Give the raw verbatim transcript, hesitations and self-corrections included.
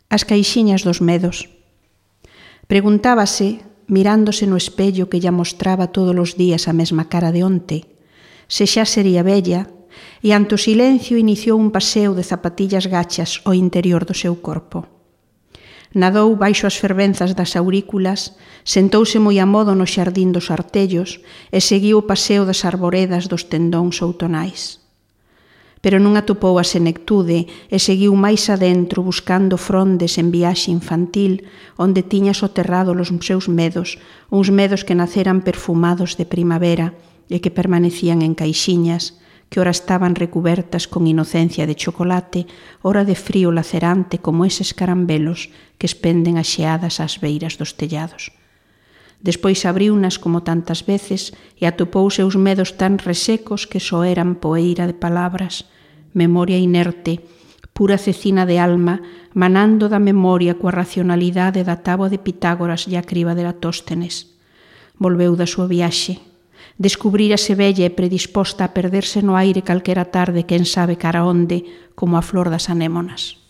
As caixiñas dos medos. Preguntábase, mirándose no espello que lla mostraba todos os días a mesma cara de onte, se xa sería vella, e ante o silencio iniciou un paseo de zapatillas gachas ao interior do seu corpo. Nadou baixo as fervenzas das aurículas, sentouse moi a modo no xardín dos artellos e seguiu o paseo das arboredas dos tendóns outonais. Pero non atopou a senectude e seguiu máis adentro buscando frondes en viaxe infantil onde tiña soterrado os seus medos, uns medos que naceran perfumados de primavera e que permanecían en caixiñas, que ora estaban recubertas con inocencia de chocolate, ora de frío lacerante como eses carambelos que espenden axeadas ás beiras dos tellados. Despois abriunas como tantas veces e atopou seus medos tan resecos que só eran poeira de palabras, memoria inerte, pura cecina de alma, manando da memoria coa racionalidade da táboa de Pitágoras e a criba de Eratóstenes. Volveu da súa viaxe. Descubrírase bella e predisposta a perderse no aire calquera tarde, quen sabe cara onde, como a flor das anémonas.